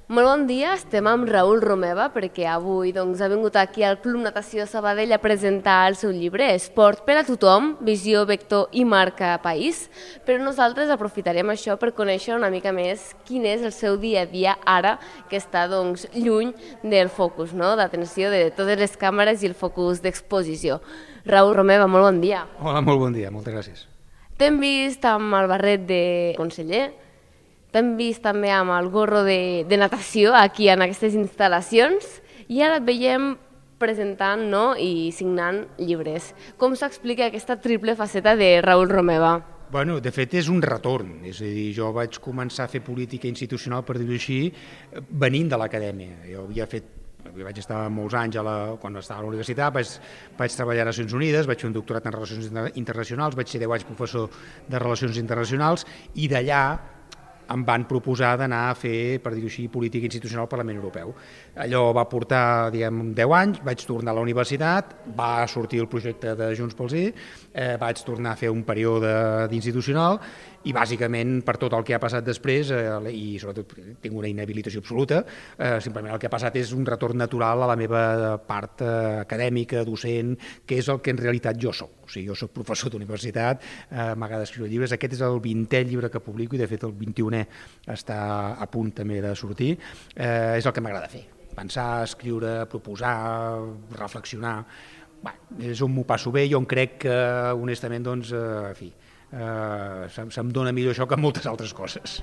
Molt bon dia, estem amb Raül Romeva perquè avui ha vingut aquí al Club Natació Sabadell a presentar el seu llibre Esport per a tothom, visió, vector i marca país, però nosaltres aprofitarem això per conèixer una mica més quin és el seu dia a dia ara que està lluny del focus, d'atenció de totes les càmeres i el focus d'exposició. Raül Romeva, molt bon dia. Hola, molt bon dia, moltes gràcies. T'hem vist amb el barret de conseller, t'hem vist també amb el gorro de natació aquí en aquestes instal·lacions i ara et veiem presentant i signant llibres. Com s'explica aquesta triple faceta de Raül Romeva? Bueno, de fet és un retorn, és a dir, jo vaig començar a fer política institucional, per dir-ho així, venint de l'acadèmia. Jo vaig estar molts anys quan estava a la universitat, vaig treballar a Nacions Unides, vaig fer un doctorat en Relacions Internacionals, vaig ser 10 anys professor de Relacions Internacionals i d'allà em van proposar d'anar a fer, per dir-ho així, política institucional al Parlament Europeu. Allò va portar, 10 anys, vaig tornar a la universitat, va sortir el projecte de Junts pel Sí, vaig tornar a fer un període d'institucional i bàsicament per tot el que ha passat després, i sobretot tinc una inhabilitació absoluta, simplement el que ha passat és un retorn natural a la meva part acadèmica, docent, que és el que en realitat jo soc. O sigui, jo soc professor d'universitat, m'agrada escriure llibres, aquest és el 20è llibre que publico i de fet el 21è està a punt també de sortir, és el que m'agrada fer. Pensar, escriure, proposar, reflexionar, és on m'ho passo bé i on crec que, honestament, se'm dona millor això que moltes altres coses.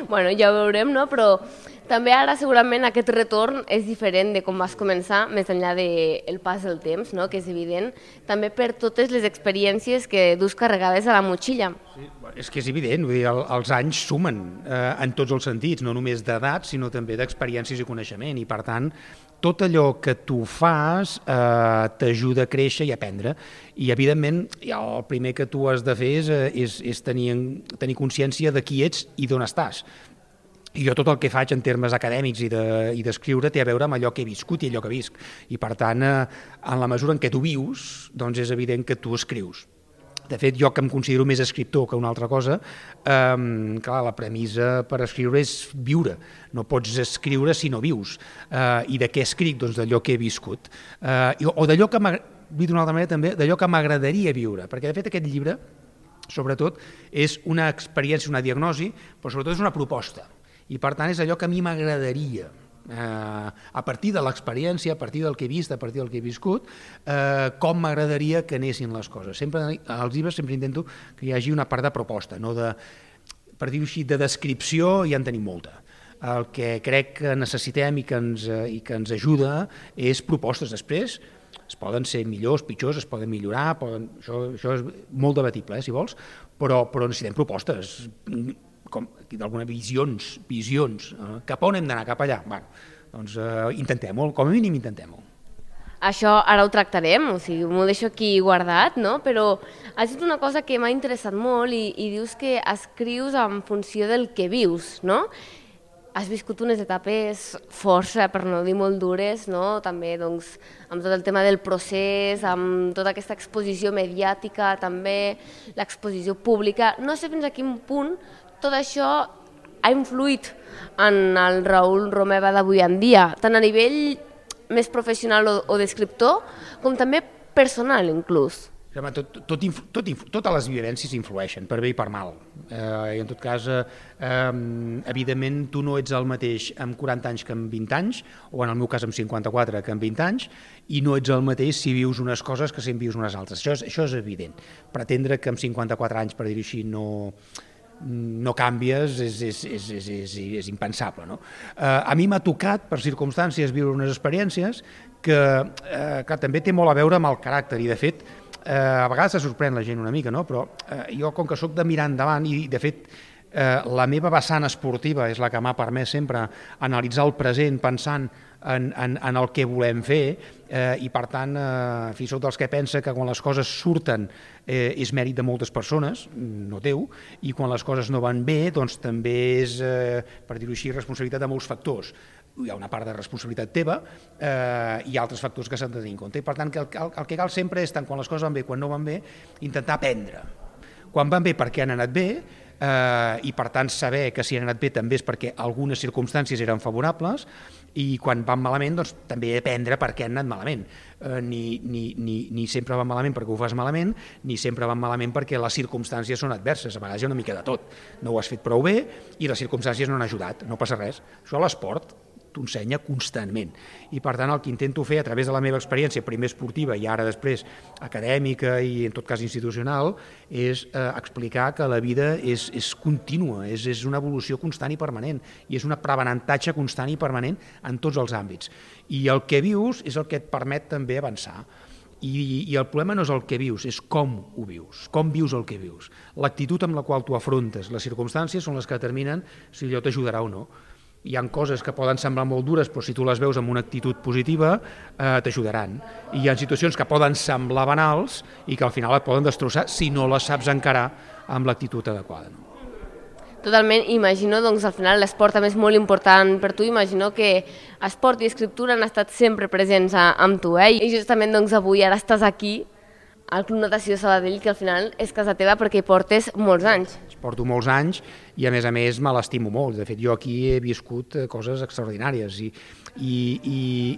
Bueno, ja ho veurem, però també ara segurament aquest retorn és diferent de com vas començar, més enllà del pas del temps, que és evident, també per totes les experiències que dus carregades a la motxilla. Sí, és que és evident, vull dir, els anys sumen en tots els sentits, no només d'edat, sinó també d'experiències i coneixement, i per tant, tot allò que tu fas t'ajuda a créixer i a aprendre. I, evidentment, el primer que tu has de fer és tenir consciència de qui ets i d'on estàs. I jo tot el que faig en termes acadèmics i d'escriure té a veure amb allò que he viscut i allò que visc. I, per tant, en la mesura en què tu vius, doncs és evident que tu escrius. De fet, jo que em considero més escriptor que una altra cosa, clar, la premissa per escriure és viure. No pots escriure si no vius. I de què escric? Doncs d'allò que he viscut. O d'allò que d'una altra manera també, d'allò que m'agradaria viure. Perquè, de fet, aquest llibre, sobretot, és una experiència, una diagnosi, però sobretot és una proposta. I, per tant, és allò que a mi m'agradaria. A partir de l'experiència, a partir del que he vist, a partir del que he viscut, com m'agradaria que anessin les coses. Sempre, als llibres sempre intento que hi hagi una part de proposta, no de, per dir-ho així, de descripció ja en tenim molta. El que crec que necessitem i que ens ajuda és propostes. Després es poden ser millors, pitjors, es poden millorar, això és molt debatible, si vols, però necessitem propostes, d'alguna visions, cap on hem d'anar, cap allà. Doncs intentem-ho, com a mínim intentem-ho. Això ara ho tractarem, o sigui, m'ho deixo aquí guardat, però has dit una cosa que m'ha interessat molt i dius que escrius en funció del que vius, no? Has viscut unes etapes força, per no dir molt dures, també amb tot el tema del procés, amb tota aquesta exposició mediàtica, també l'exposició pública. No sé fins a quin punt tot això ha influït en el Raül Romeva d'avui en dia, tant a nivell més professional o d'escriptor, com també personal inclús. Totes les vivències influeixen, per bé i per mal. I en tot cas, evidentment, tu no ets el mateix amb 40 anys que amb 20 anys, o en el meu cas amb 54 que amb 20 anys, i no ets el mateix si vius unes coses que si en vius unes altres. Això és evident. Pretendre que amb 54 anys, per dir-ho així, no canvies és impensable. A mi m'ha tocat, per circumstàncies, viure unes experiències que també té molt a veure amb el caràcter i, de fet, a vegades se sorprèn la gent una mica, però jo, com que soc de mirar endavant i, de fet, la meva vessant esportiva és la que m'ha permès sempre analitzar el present pensant en el que volem fer i, per tant, soc dels que pensa que quan les coses surten és mèrit de moltes persones, no teu, i quan les coses no van bé, doncs també és, per dir-ho així, responsabilitat de molts factors. Hi ha una part de responsabilitat teva i altres factors que s'han de tenir en compte. I, per tant, el que cal sempre és, tant quan les coses van bé com no van bé, intentar aprendre. Quan van bé perquè han anat bé, i per tant saber que si han anat bé també és perquè algunes circumstàncies eren favorables, i quan van malament doncs també aprendre per què han anat malament. Ni sempre van malament perquè ho fas malament, ni sempre van malament perquè les circumstàncies són adverses. A vegades hi ha una mica de tot. No ho has fet prou bé i les circumstàncies no han ajudat, no passa res. Això a l'esport t'ho ensenya constantment. I per tant el que intento fer a través de la meva experiència, primer esportiva i ara després acadèmica i en tot cas institucional, és explicar que la vida és contínua, és una evolució constant i permanent, i és un aprenentatge constant i permanent en tots els àmbits. I el que vius és el que et permet també avançar. I el problema no és el que vius, és com ho vius, com vius el que vius. L'actitud amb la qual tu afrontes les circumstàncies són les que determinen si allò t'ajudarà o no. Hi ha coses que poden semblar molt dures, però si tu les veus amb una actitud positiva, t'ajudaran. I hi ha situacions que poden semblar banals i que al final et poden destrossar si no les saps encarar amb l'actitud adequada. Totalment, imagino, doncs al final l'esport també és molt important per tu, imagino que esport i escriptura han estat sempre presents amb tu, i justament doncs avui ara estàs aquí al Club Natació Sabadell, que al final és casa teva perquè hi portes molts anys. Porto molts anys i a més me l'estimo molt. De fet, jo aquí he viscut coses extraordinàries i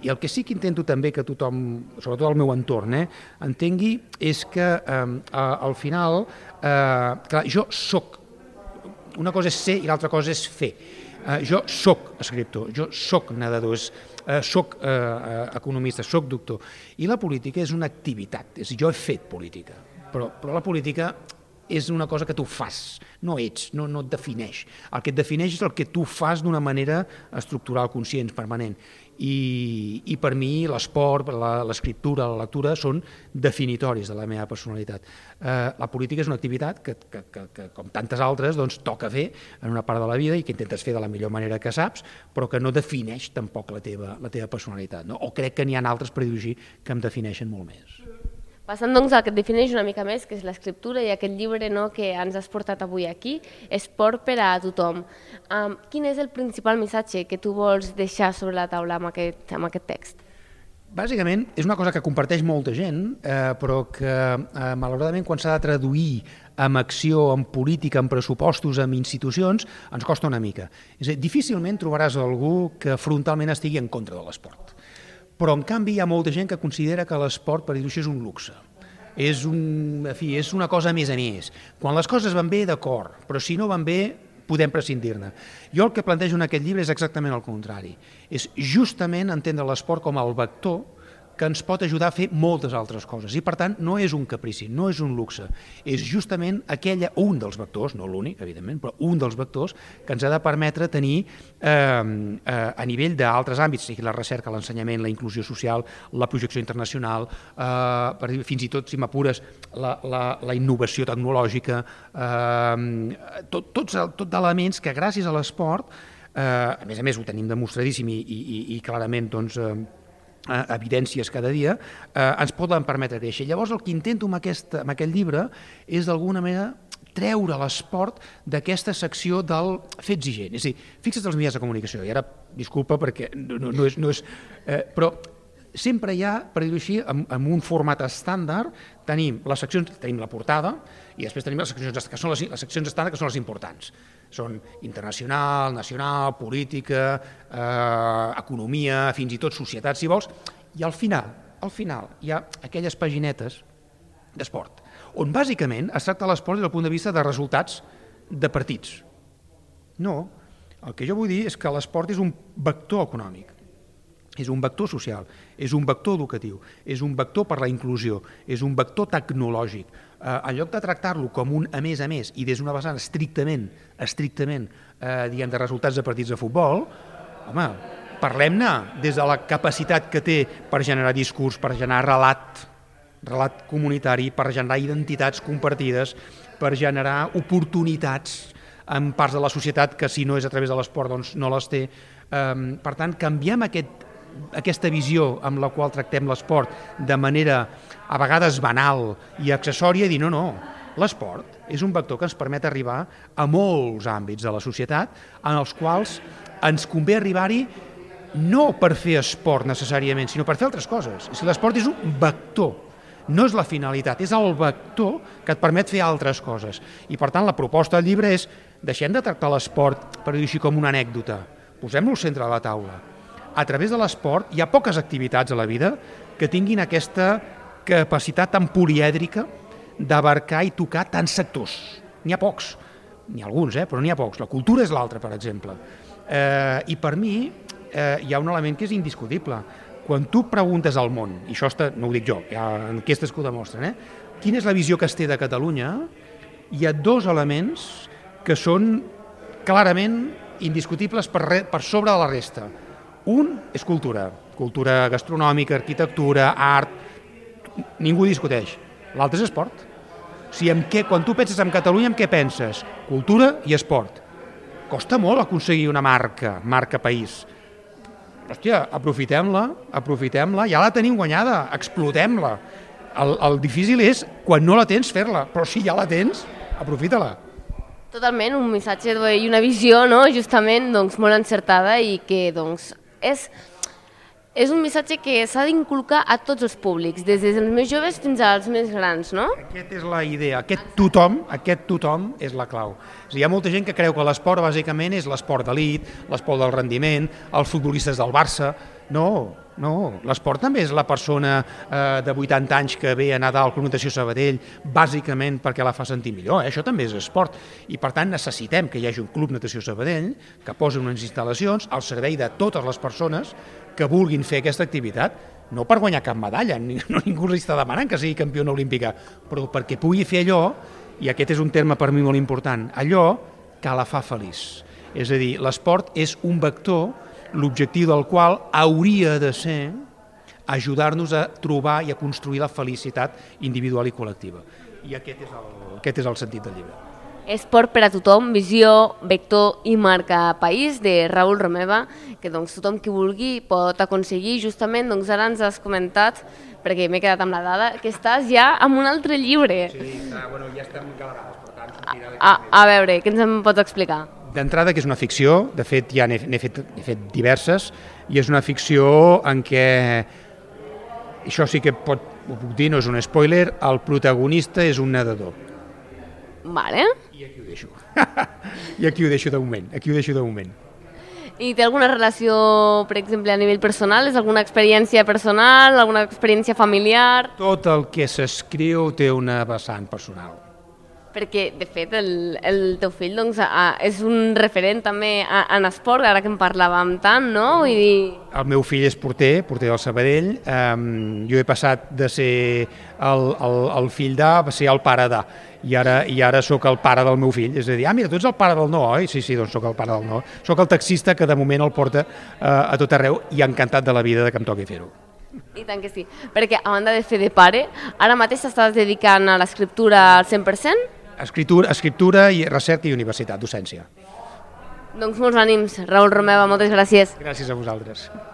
el que sí que intento també que tothom, sobretot el meu entorn, entengui és que al final, clar, jo soc. Una cosa és ser i l'altra cosa és fer. Jo soc escriptor, jo soc nedador, soc economista, soc doctor. I la política és una activitat, jo he fet política, però la política és una cosa que tu fas, no ets, no et defineix. El que et defineix és el que tu fas d'una manera estructural, conscient, permanent. I per mi l'esport, l'escriptura, la lectura són definitoris de la meva personalitat. La política és una activitat que com tantes altres, doncs, toca fer en una part de la vida i que intentes fer de la millor manera que saps, però que no defineix tampoc la teva personalitat. No? O crec que n'hi ha altres, per dir-ho així, que em defineixen molt més. Passant doncs al que et defineix una mica més, que és l'escriptura i aquest llibre que ens has portat avui aquí, Esport per a tothom. Quin és el principal missatge que tu vols deixar sobre la taula amb aquest text? Bàsicament, és una cosa que comparteix molta gent, però que malauradament quan s'ha de traduir amb acció, en política, en pressupostos, en institucions, ens costa una mica. És a dir, difícilment trobaràs algú que frontalment estigui en contra de l'esport. Però, en canvi, hi ha molta gent que considera que l'esport, per dir-ho així, és un luxe. És una cosa més a més. Quan les coses van bé, d'acord, però si no van bé, podem prescindir-ne. Jo el que plantejo en aquest llibre és exactament el contrari. És justament entendre l'esport com el vector que ens pot ajudar a fer moltes altres coses. I, per tant, no és un caprici, no és un luxe. És justament un dels vectors, no l'únic, evidentment, però un dels vectors que ens ha de permetre tenir, a nivell d'altres àmbits, sigui la recerca, l'ensenyament, la inclusió social, la projecció internacional, fins i tot, si m'apures, la innovació tecnològica, tot elements que gràcies a l'esport, a més ho tenim demostradíssim i clarament, doncs, evidències cada dia, ens poden permetre créixer. Llavors el que intento amb aquest llibre és d'alguna manera treure l'esport d'aquesta secció del fer exigent. És a dir, fixa't els mitjans de comunicació, i ara, disculpa perquè no és però sempre hi ha, per dir-ho així, en un format estàndard, tenim les seccions, tenim la portada, i després tenim les seccions que són les seccions estàndard, que són les importants. Són internacional, nacional, política, economia, fins i tot societat, si vols, i al final hi ha aquelles paginetes d'esport, on bàsicament es tracta l'esport des del punt de vista de resultats de partits. No, el que jo vull dir és que l'esport és un vector econòmic, és un vector social, és un vector educatiu, és un vector per la inclusió, és un vector tecnològic. En lloc de tractar-lo com un a més i des d'una vessant estrictament de resultats de partits de futbol, home, parlem-ne des de la capacitat que té per generar discurs, per generar relat comunitari, per generar identitats compartides, per generar oportunitats en parts de la societat que si no és a través de l'esport doncs no les té. Per tant, canviem aquesta visió amb la qual tractem l'esport de manera a vegades banal i accessòria, i dir no, l'esport és un vector que ens permet arribar a molts àmbits de la societat en els quals ens convé arribar-hi no per fer esport necessàriament, sinó per fer altres coses. L'esport és un vector No és la finalitat, és el vector que et permet fer altres coses. I per tant la proposta del llibre és deixem de tractar l'esport, per dir així, com una anècdota, posem-lo al centre de la taula. A través de l'esport hi ha poques activitats a la vida que tinguin aquesta capacitat tan polièdrica d'abarcar i tocar tants sectors. N'hi ha pocs, n'hi ha alguns, però n'hi ha pocs. La cultura és l'altra, per exemple. I per mi hi ha un element que és indiscutible. Quan tu preguntes al món, i això no ho dic jo, hi ha enquestes que ho demostren, quina és la visió que es té de Catalunya, hi ha dos elements que són clarament indiscutibles per sobre de la resta. Un és cultura gastronòmica, arquitectura, art, ningú discuteix. L'altre és esport. O sigui, quan tu penses en Catalunya, en què penses? Cultura i esport. Costa molt aconseguir una marca país. Hòstia, aprofitem-la, ja la tenim guanyada, explotem-la. El difícil és, quan no la tens, fer-la, però si ja la tens, aprofita-la. Totalment, un missatge i una visió, no? Justament molt encertada i que és un missatge que s'ha d'inculcar a tots els públics, des dels més joves fins als més grans, no? Aquesta és la idea, aquest tothom és la clau. Hi ha molta gent que creu que l'esport bàsicament és l'esport d'elit, l'esport del rendiment, els futbolistes del Barça. No, l'esport també és la persona de 80 anys que ve a nedar al Club Natació Sabadell bàsicament perquè la fa sentir millor, això també és esport. I per tant necessitem que hi hagi un Club Natació Sabadell que posi unes instal·lacions al servei de totes les persones que vulguin fer aquesta activitat, no per guanyar cap medalla, ningú li està demanant que sigui campiona olímpica, però perquè pugui fer allò, i aquest és un terme per mi molt important, allò que la fa feliç. És a dir, l'esport és un vector, l'objectiu del qual hauria de ser ajudar-nos a trobar i a construir la felicitat individual i col·lectiva. I aquest és el sentit del llibre. Esport per a tothom, visió, vector i marca país, de Raül Romeva, que tothom qui vulgui pot aconseguir. Justament ara ens has comentat, perquè m'he quedat amb la dada, que estàs ja amb un altre llibre. Sí, ja estem encalarades, per tant sortirà d'aquí. A veure, què ens en pots explicar? D'entrada, que és una ficció, de fet ja n'he fet diverses, i és una ficció en què, això sí que ho puc dir, no és un spoiler, el protagonista és un nedador. Vale. I aquí ho deixo. I aquí ho deixo de moment. I té alguna relació, per exemple, a nivell personal? És alguna experiència personal, alguna experiència familiar? Tot el que s'escriu té una vessant personal. Perquè, de fet, el teu fill és un referent també en esport, ara que en parlàvem tant, no? Vull dir... El meu fill és porter del Sabadell. Jo he passat de ser el fill d'A a ser el pare d'A. I ara sóc el pare del meu fill. És a dir, mira, tu ets el pare del Noah, oi? Sí, doncs sóc el pare del Noah. Sóc el taxista que de moment el porta a tot arreu i encantat de la vida de que em toqui fer-ho. I tant que sí, perquè a banda de fer de pare, ara mateix t'estàs dedicant a l'escriptura al 100%? Escriptura i recerca i universitat, docència. Doncs molts ànims, Raül Romeva, moltes gràcies. Gràcies a vosaltres.